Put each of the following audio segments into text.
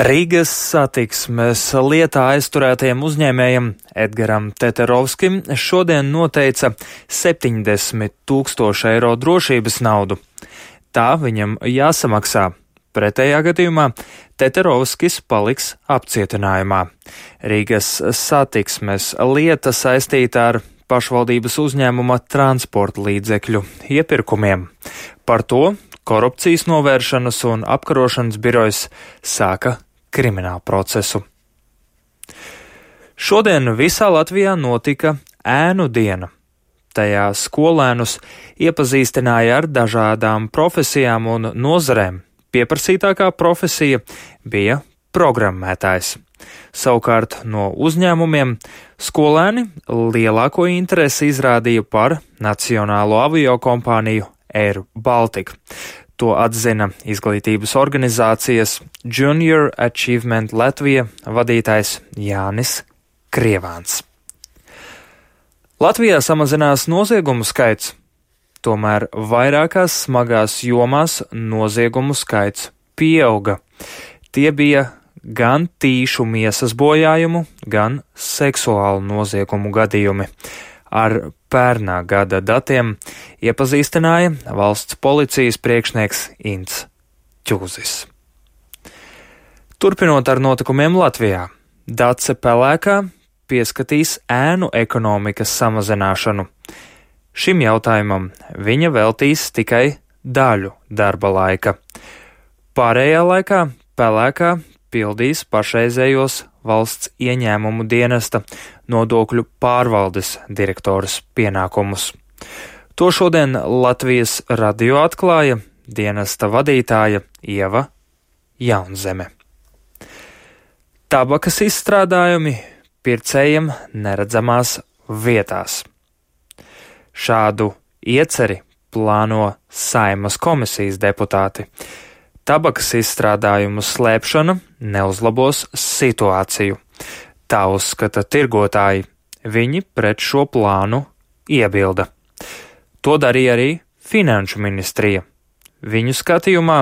Rīgas satiksmes lietā aizturētajam uzņēmējam Edgaram Teterovskim šodien noteica 70 000 eiro drošības naudu. Tā viņam jāsamaksā. Pretējā gadījumā Teterovskis paliks apcietinājumā. Rīgas satiksmes lieta saistīta ar pašvaldības uzņēmuma transporta līdzekļu iepirkumiem. Par to Korupcijas novēršanas un apkarošanas birojas sāka kriminālu procesu. Šodien visā Latvijā notika ēnu diena. Tajā skolēnus iepazīstināja ar dažādām profesijām un nozarēm. Pieprasītākā profesija bija programmētājs. Savukārt no uzņēmumiem skolēni lielāko interesi izrādīja par nacionālo aviokompāniju Air Baltica. To atzina izglītības organizācijas Junior Achievement Latvija vadītājs Jānis Krievāns. Latvijā samazinās noziegumu skaits, tomēr vairākās smagās jomās noziegumu skaits pieauga. Tie bija gan tīšu miesas bojājumu, gan seksuālu noziegumu gadījumi. Ar pērnā gada datiem iepazīstināja valsts policijas priekšnieks Ints Ķūzis. Turpinot ar notikumiem Latvijā, Dace Pelēkā pieskatīs ēnu ekonomikas samazināšanu. Šim jautājumam viņa veltīs tikai daļu darba laika. Pārējā laikā Pelēkā pildīs pašreizējos valsts ieņēmumu dienesta nodokļu pārvaldes direktoras pienākumus. To šodien Latvijas radio atklāja dienesta vadītāja Ieva Jaunzeme. Tabakas izstrādājumi pircējiem neredzamās vietās. Šādu ieceri plāno Saeimas komisijas deputāti. Tabakas izstrādājumu slēpšana neuzlabos situāciju. Tā uzskata tirgotāji. Viņi pret šo plānu iebilda. To darīja arī Finanšu ministrija. Viņu skatījumā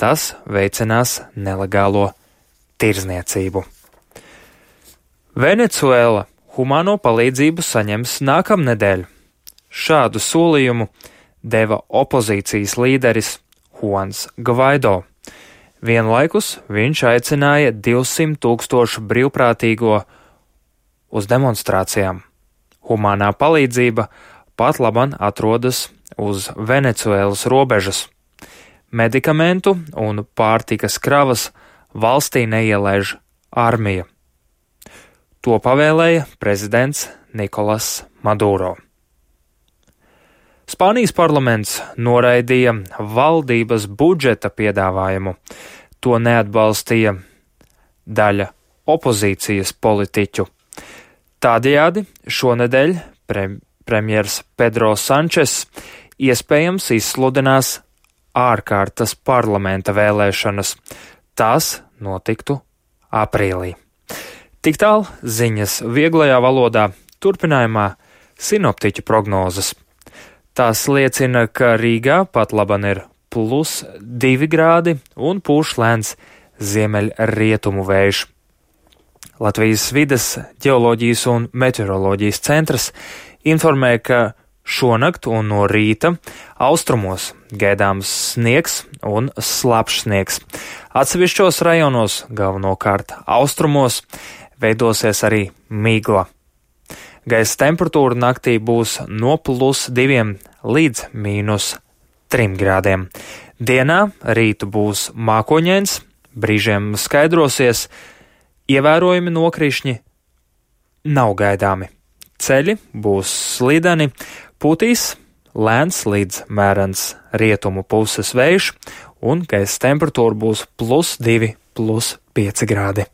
tas veicinās nelegālo tirdzniecību. Venecuēla humāno palīdzību saņems nākamnedēļ. Šādu solījumu deva opozīcijas līderis Juans Gvaido. Vienlaikus viņš aicināja 200 000 brīvprātīgo uz demonstrācijām. Humānā palīdzība pat laban atrodas uz Venecuēlas robežas. Medikamentu un pārtikas kravas valstī neielaiž armija. To pavēlēja prezidents Nikolas Maduro. Spānijas parlaments noraidīja valdības budžeta piedāvājumu. To neatbalstīja daļa opozīcijas politiķu. Tādējādi šonedēļ premjers Pedro Sančes iespējams izsludinās ārkārtas parlamenta vēlēšanas. Tās notiktu aprīlī. Tik tālu ziņas vieglajā valodā, turpinājumā sinoptiķu prognozes. Tās liecina, ka Rīgā pat laban ir +2 grādi un pūš lēns ziemeļrietumu vējš. Latvijas vides, ģeoloģijas un meteoroloģijas centrs informē, ka šonakt un no rīta austrumos gaidāms sniegs un slapjš sniegs. Atsevišķos rajonos, galvenokārt austrumos, veidosies arī migla. Gaisa temperatūra naktī būs no +2 līdz -3 grādiem. Dienā rītu būs mākoņains, brīžiem skaidrosies, ievērojami nokrišņi nav gaidāmi. Ceļi būs slideni, pūtīs lēns līdz mērens rietumu puses vējš un gaisa temperatūra būs +2, +5 grādi.